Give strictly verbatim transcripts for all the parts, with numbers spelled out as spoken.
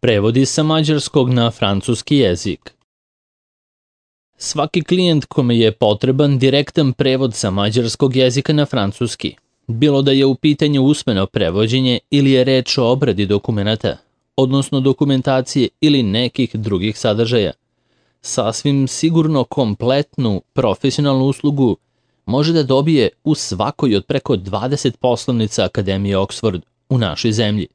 Prevodi sa mađarskog na francuski jezik. Svaki klijent kome je potreban direktan prevod sa mađarskog jezika na francuski, bilo da je u pitanju usmeno prevođenje ili je reč o obradi dokumenata, odnosno dokumentacije ili nekih drugih sadržaja, sasvim sigurno kompletnu profesionalnu uslugu može da dobije u svakoj od preko dvadeset poslovnica Akademije Oxford u našoj zemlji.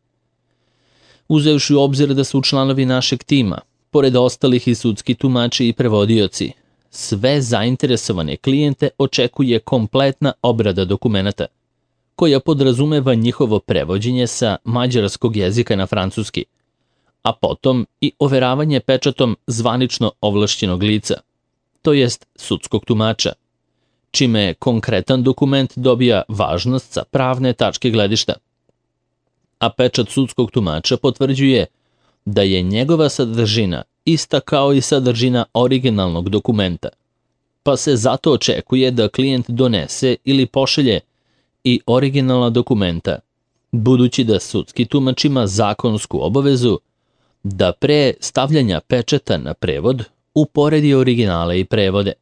Uzevši u obzir da su članovi našeg tima, pored ostalih i sudski tumači i prevodioci, sve zainteresovane klijente očekuje kompletna obrada dokumenata, koja podrazumeva njihovo prevođenje sa mađarskog jezika na francuski, a potom i overavanje pečatom zvanično ovlašćenog lica, to jest sudskog tumača, čime konkretan dokument dobija važnost sa pravne tačke gledišta. A pečat sudskog tumača potvrđuje da je njegova sadržina ista kao i sadržina originalnog dokumenta, pa se zato očekuje da klijent donese ili pošalje i originalna dokumenta, budući da sudski tumač ima zakonsku obavezu da pre stavljanja pečata na prevod uporedi originale i prevode.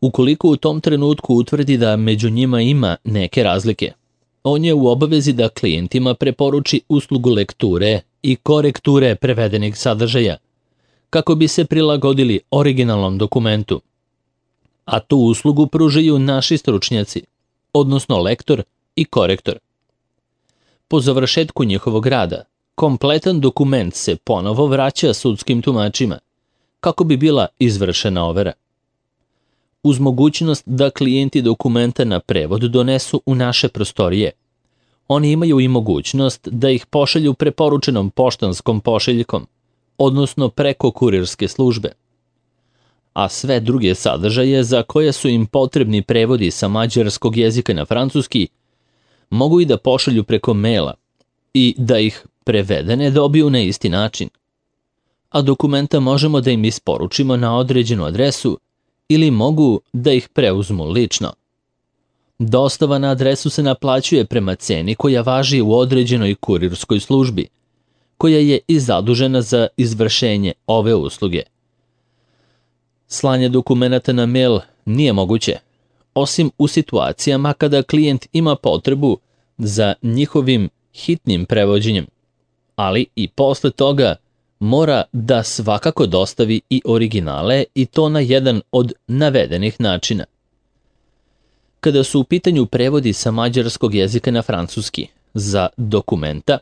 Ukoliko u tom trenutku utvrdi da među njima ima neke razlike, on je u obavezi da klijentima preporuči uslugu lekture i korekture prevedenih sadržaja, kako bi se prilagodili originalnom dokumentu. A tu uslugu pružaju naši stručnjaci, odnosno lektor i korektor. Po završetku njihovog rada, kompletan dokument se ponovo vraća sudskim tumačima, kako bi bila izvršena overa. Uz mogućnost da klijenti dokumenta na prevod donesu u naše prostorije, oni imaju i mogućnost da ih pošalju preporučenom poštanskom pošiljkom, odnosno preko kurirske službe. A sve druge sadržaje za koje su im potrebni prevodi sa mađarskog jezika na francuski mogu i da pošalju preko maila i da ih prevedene dobiju na isti način. A dokumenta možemo da im isporučimo na određenu adresu ili mogu da ih preuzmu lično. Dostava na adresu se naplaćuje prema ceni koja važi u određenoj kurirskoj službi, koja je i zadužena za izvršenje ove usluge. Slanje dokumenata na mail nije moguće, osim u situacijama kada klijent ima potrebu za njihovim hitnim prevođenjem, ali i posle toga mora da svakako dostavi i originale i to na jedan od navedenih načina. Kada su u pitanju prevodi sa mađarskog jezika na francuski za dokumenta,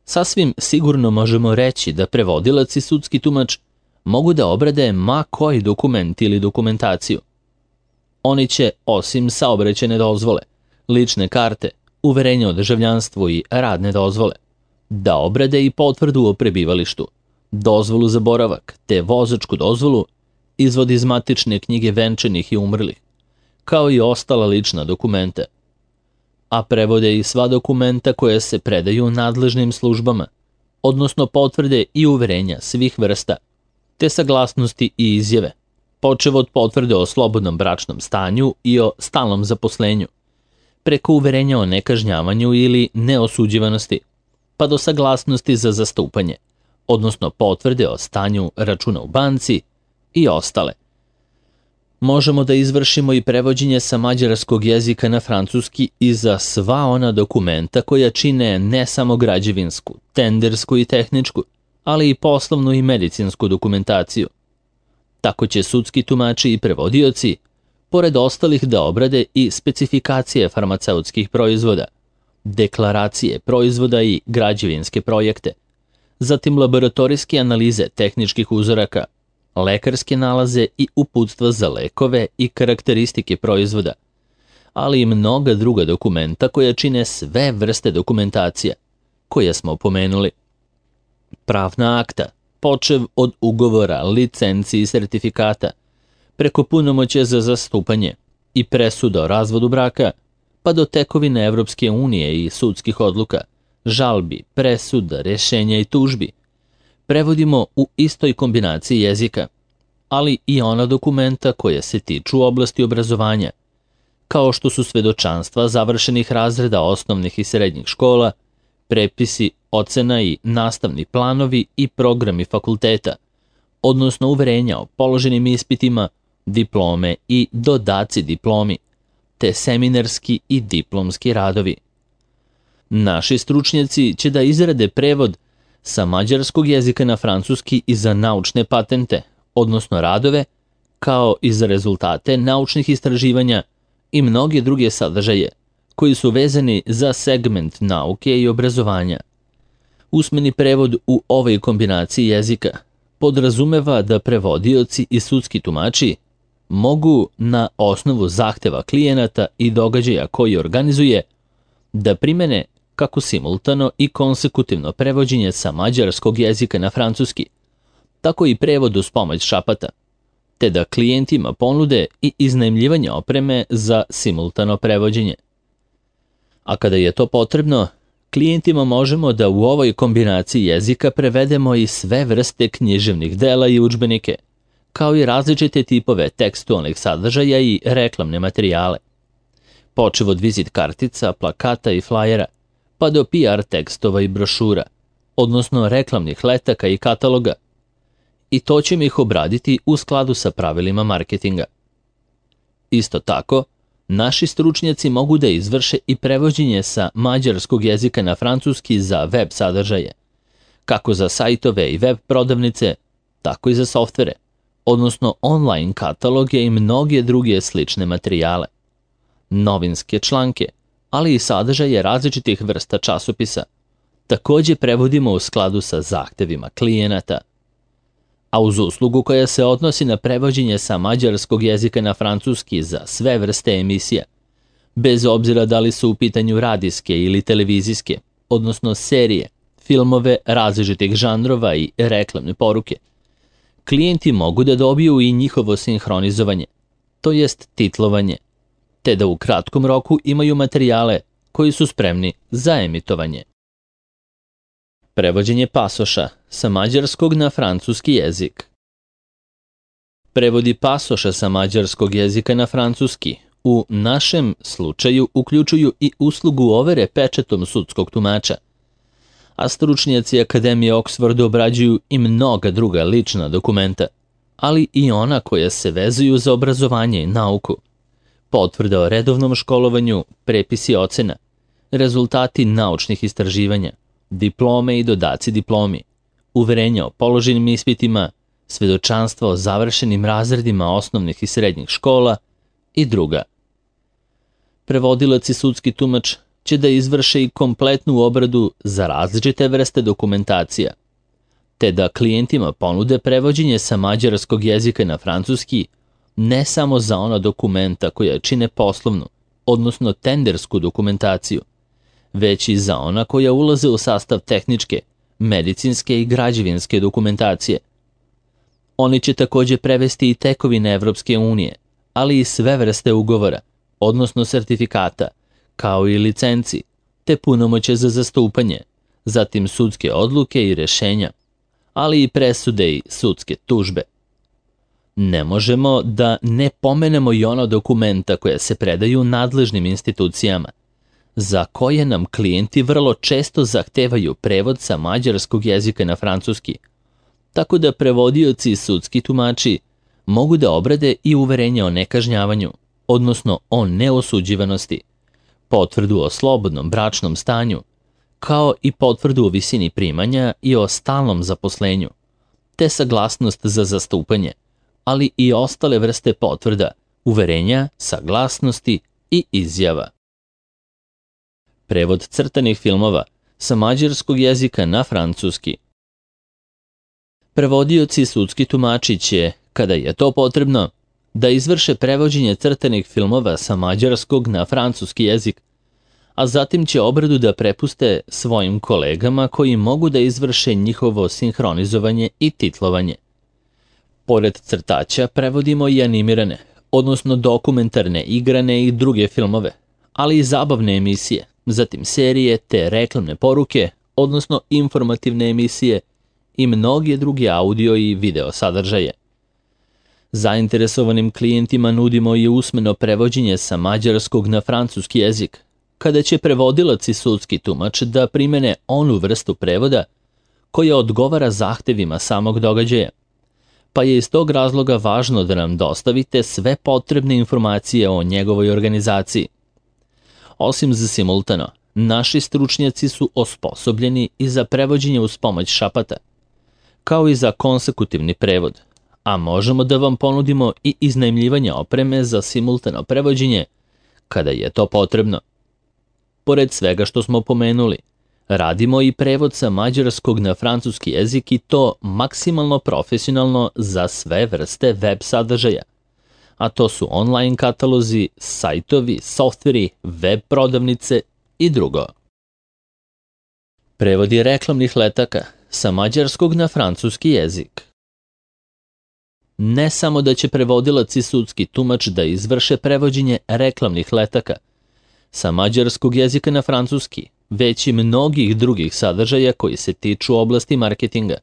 sasvim sigurno možemo reći da prevodilac i sudski tumač mogu da obrade ma koji dokument ili dokumentaciju. Oni će, osim saobraćajne dozvole, lične karte, uverenje o državljanstvu i radne dozvole, da obrade i potvrdu o prebivalištu, dozvolu za boravak te vozačku dozvolu, izvod iz matične knjige venčanih i umrlih, kao i ostala lična dokumenta. A prevode i sva dokumenta koje se predaju nadležnim službama, odnosno potvrde i uverenja svih vrsta, te saglasnosti i izjave, počev od potvrde o slobodnom bračnom stanju i o stalnom zaposlenju, preko uverenja o nekažnjavanju ili neosuđivanosti, pa do saglasnosti za zastupanje, odnosno potvrde o stanju računa u banci i ostale. Možemo da izvršimo i prevođenje sa mađarskog jezika na francuski i za sva ona dokumenta koja čine ne samo građevinsku, tendersku i tehničku, ali i poslovnu i medicinsku dokumentaciju. Tako će sudski tumači i prevodioci, pored ostalih, da obrade i specifikacije farmaceutskih proizvoda, deklaracije proizvoda i građevinske projekte, zatim laboratorijske analize tehničkih uzoraka, lekarske nalaze i uputstva za lekove i karakteristike proizvoda, ali i mnoga druga dokumenta koja čine sve vrste dokumentacija, koje smo pomenuli. Pravna akta, počev od ugovora, licenci i sertifikata, preko punomoćja za zastupanje i presuda o razvodu braka, pa do tekovine Evropske unije i sudskih odluka, žalbi, presuda, rešenja i tužbi, prevodimo u istoj kombinaciji jezika, ali i ona dokumenta koja se tiču oblasti obrazovanja, kao što su svedočanstva završenih razreda osnovnih i srednjih škola, prepisi, ocena i nastavni planovi i programi fakulteta, odnosno uverenja o položenim ispitima, diplome i dodaci diplomi, te seminarski i diplomski radovi. Naši stručnjaci će da izrade prevod sa mađarskog jezika na francuski i za naučne patente, odnosno radove, kao i za rezultate naučnih istraživanja i mnoge druge sadržaje koji su vezani za segment nauke i obrazovanja. Usmeni prevod u ovoj kombinaciji jezika podrazumeva da prevodioci i sudski tumači mogu na osnovu zahteva klijenata i događaja koji organizuje da primene kako simultano i konsekutivno prevođenje sa mađarskog jezika na francuski, tako i prevod uz pomoć šapata, te da klijentima ponude i iznajmljivanje opreme za simultano prevođenje. A kada je to potrebno, klijentima možemo da u ovoj kombinaciji jezika prevedemo i sve vrste književnih dela i udžbenike, kao i različite tipove tekstualnih sadržaja i reklamne materijale. Počev od vizit kartica, plakata i flajera, pa do P R tekstova i brošura, odnosno reklamnih letaka i kataloga, i to ćemo ih obraditi u skladu sa pravilima marketinga. Isto tako, naši stručnjaci mogu da izvrše i prevođenje sa mađarskog jezika na francuski za web sadržaje, kako za sajtove i web prodavnice, tako i za softvere, odnosno online kataloge i mnoge druge slične materijale, novinske članke, ali i sadržaje različitih vrsta časopisa. Takođe prevodimo u skladu sa zahtevima klijenata. A uz uslugu koja se odnosi na prevođenje sa mađarskog jezika na francuski za sve vrste emisija, bez obzira da li su u pitanju radijske ili televizijske, odnosno serije, filmove različitih žanrova i reklamne poruke, klijenti mogu da dobiju i njihovo sinhronizovanje, to jest titlovanje, te da u kratkom roku imaju materijale koji su spremni za emitovanje. Prevođenje pasoša sa mađarskog na francuski jezik. Prevodi pasoša sa mađarskog jezika na francuski u našem slučaju uključuju i uslugu overe pečetom sudskog tumača, a stručnjaci Akademije Oxford obrađuju i mnoga druga lična dokumenta, ali i ona koja se vezuju za obrazovanje i nauku, potvrda o redovnom školovanju, prepisi ocena, rezultati naučnih istraživanja, diplome i dodaci diplomi, uverenja o položenim ispitima, svedočanstva o završenim razredima osnovnih i srednjih škola i druga. Prevodilac i sudski tumač će da izvrše i kompletnu obradu za različite vrste dokumentacija, te da klijentima ponude prevođenje sa mađarskog jezika na francuski ne samo za ona dokumenta koja čine poslovnu, odnosno tendersku dokumentaciju, već i za ona koja ulaze u sastav tehničke, medicinske i građevinske dokumentacije. Oni će takođe prevesti i tekovine Evropske unije, ali i sve vrste ugovora, odnosno sertifikata, kao i licenci, te punomoće za zastupanje, zatim sudske odluke i rešenja, ali i presude i sudske tužbe. Ne možemo da ne pomenemo i ono dokumenta koje se predaju nadležnim institucijama, za koje nam klijenti vrlo često zahtevaju prevod sa mađarskog jezika na francuski, tako da prevodioci i sudski tumači mogu da obrade i uverenje o nekažnjavanju, odnosno o neosuđivanosti, potvrdu o slobodnom bračnom stanju, kao i potvrdu o visini primanja i o stalnom zaposlenju, te saglasnost za zastupanje, ali i ostale vrste potvrda, uverenja, saglasnosti i izjava. Prevod crtanih filmova sa mađarskog jezika na francuski. Prevodioci i sudski tumači će, kada je to potrebno, da izvrše prevođenje crtanih filmova sa mađarskog na francuski jezik, a zatim će obradu da prepuste svojim kolegama koji mogu da izvrše njihovo sinhronizovanje i titlovanje. Pored crtaća prevodimo i animirane, odnosno dokumentarne, igrane i druge filmove, ali i zabavne emisije, zatim serije te reklamne poruke, odnosno informativne emisije i mnoge druge audio i video sadržaje. Zainteresovanim klijentima nudimo i usmeno prevođenje sa mađarskog na francuski jezik, kada će prevodilac i sudski tumač da primene onu vrstu prevoda koja odgovara zahtevima samog događaja, pa je iz tog razloga važno da nam dostavite sve potrebne informacije o njegovoj organizaciji. Osim za simultano, naši stručnjaci su osposobljeni i za prevođenje uz pomoć šapata, kao i za konsekutivni prevod, a možemo da vam ponudimo i iznajmljivanje opreme za simultano prevođenje kada je to potrebno. Pored svega što smo pomenuli, radimo i prevod sa mađarskog na francuski jezik i to maksimalno profesionalno za sve vrste web sadržaja, a to su online katalozi, sajtovi, softveri, web prodavnice i drugo. Prevodi reklamnih letaka sa mađarskog na francuski jezik. Ne samo da će prevodilac i sudski tumač da izvrše prevođenje reklamnih letaka sa mađarskog jezika na francuski, već i mnogih drugih sadržaja koji se tiču oblasti marketinga,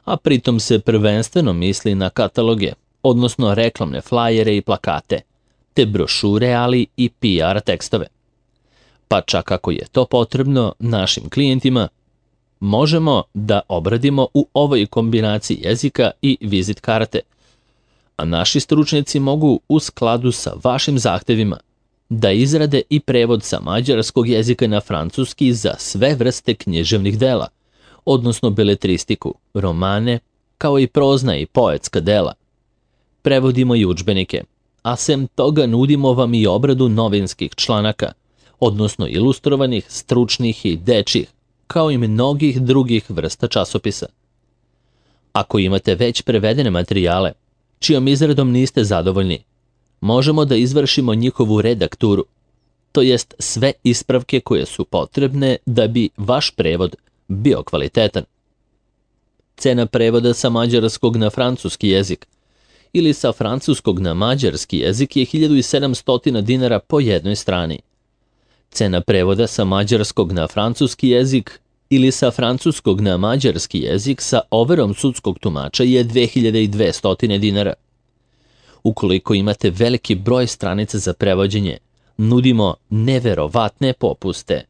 a pritom se prvenstveno misli na kataloge, odnosno reklamne flajere i plakate, te brošure, ali i P R tekstove. Pa čak ako je to potrebno našim klijentima, možemo da obradimo u ovoj kombinaciji jezika i vizit karte, a naši stručnjaci mogu u skladu sa vašim zahtevima da izrade i prevod sa mađarskog jezika na francuski za sve vrste književnih dela, odnosno beletristiku, romane, kao i prozna i poetska dela. Prevodimo i udžbenike, a sem toga nudimo vam i obradu novinskih članaka, odnosno ilustrovanih, stručnih i dečjih, kao i mnogih drugih vrsta časopisa. Ako imate već prevedene materijale, čijom izradom niste zadovoljni, možemo da izvršimo njihovu redakturu, to jest sve ispravke koje su potrebne da bi vaš prevod bio kvalitetan. Cena prevoda sa mađarskog na francuski jezik ili sa francuskog na mađarski jezik je hiljadu sedamsto dinara po jednoj strani. Cena prevoda sa mađarskog na francuski jezik ili sa francuskog na mađarski jezik sa overom sudskog tumača je dve hiljade dvesta dinara. Ukoliko imate veliki broj stranica za prevođenje, nudimo neverovatne popuste.